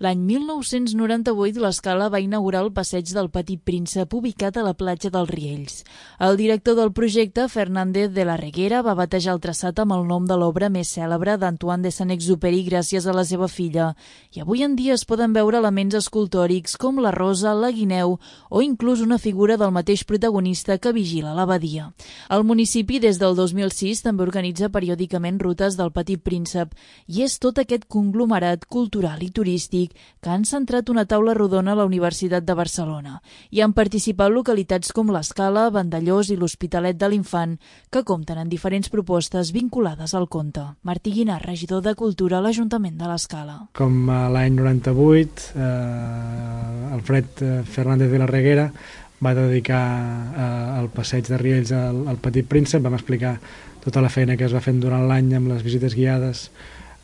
L'any 1998 l'Escala va inaugurar el passeig del Petit Príncep ubicat a la platja dels Riells. El director del projecte, Fernández de la Reguera, va batejar el traçat amb el nom de l'obra més cèlebre d'Antoine de Saint-Exupéry gràcies a la seva filla. I avui en dia es poden veure elements escultòrics com la rosa, la guineu o inclús una figura del mateix protagonista que vigila l'abadia. El municipi des del 2006 també organitza periòdicament rutes del Petit Príncep i és tot aquest conglomerat cultural i turístic que han centrat una taula rodona a la Universitat de Barcelona. Hi han participat localitats com l'Escala, Vandellós i l'Hospitalet de l'Infant, que compten en diferents propostes vinculades al conte. Martí Guinart, regidor de Cultura a l'Ajuntament de l'Escala. Com l'any 98, Alfred Fernández de la Reguera va dedicar el passeig de Riells al Petit Príncep. Vam explicar tota la feina que es va fer durant l'any amb les visites guiades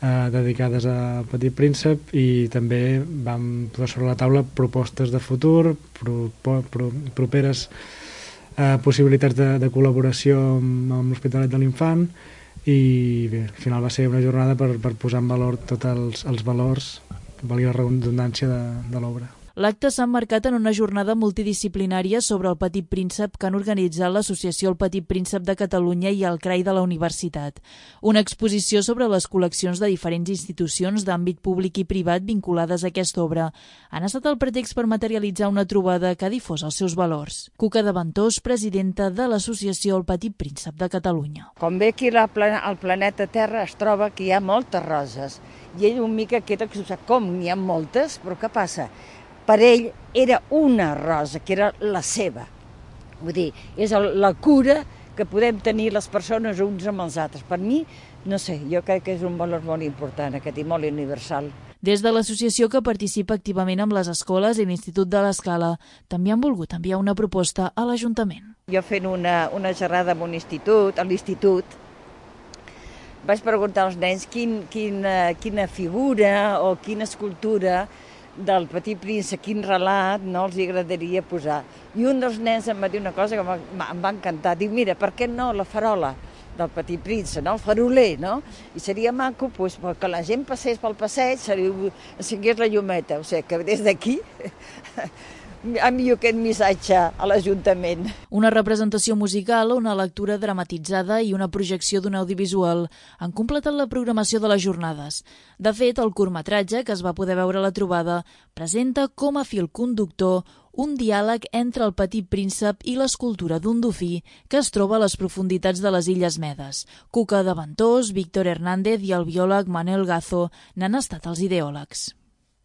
dedicades al Petit Príncep i també vam posar sobre la taula propostes de futur, properes possibilitats de col·laboració amb l'Hospitalet de l'Infant i bé, al final va ser una jornada per posar en valor tots els valors, valgui la redundància de l'obra. L'acte s'ha emmarcat en una jornada multidisciplinària sobre el Petit Príncep que han organitzat l'Associació El Petit Príncep de Catalunya i el CRAI de la Universitat. Una exposició sobre les col·leccions de diferents institucions d'àmbit públic i privat vinculades a aquesta obra han estat el pretext per materialitzar una trobada que ha difós els seus valors. Cuca de Ventós, presidenta de l'Associació El Petit Príncep de Catalunya. Com ve aquí al planeta Terra es troba que hi ha moltes roses i ell una mica queda exultat. Com n'hi ha moltes? Però què passa? Per ell era una rosa, que era la seva. Vull dir, és la cura que podem tenir les persones uns amb els altres. Per mi, no sé, jo crec que és un valor molt important aquest i molt universal. Des de l'associació que participa activament amb les escoles i l'Institut de l'Escala, també han volgut enviar una proposta a l'Ajuntament. Jo fent una xerrada amb un institut, a l'institut, vaig preguntar als nens quina figura o quina escultura del Petit Príncep, quin relat no els agradaria posar. I un dels nens em va dir una cosa que em va encantar. Diu, mira, per què no la farola del Petit Príncep, no? El faroler, no? I seria maco pues, que la gent passés pel passeig, encengués la llumeta. O sigui, que des d'aquí envio aquest missatge a l'Ajuntament. Una representació musical, una lectura dramatitzada i una projecció d'un audiovisual han completat la programació de les jornades. De fet, el curtmetratge, que es va poder veure a la trobada, presenta com a fil conductor un diàleg entre el Petit Príncep i l'escultura d'un dofí que es troba a les profunditats de les Illes Medes. Cuca de Ventós, Víctor Hernández i el biòleg Manel Gazo n'han estat els ideòlegs.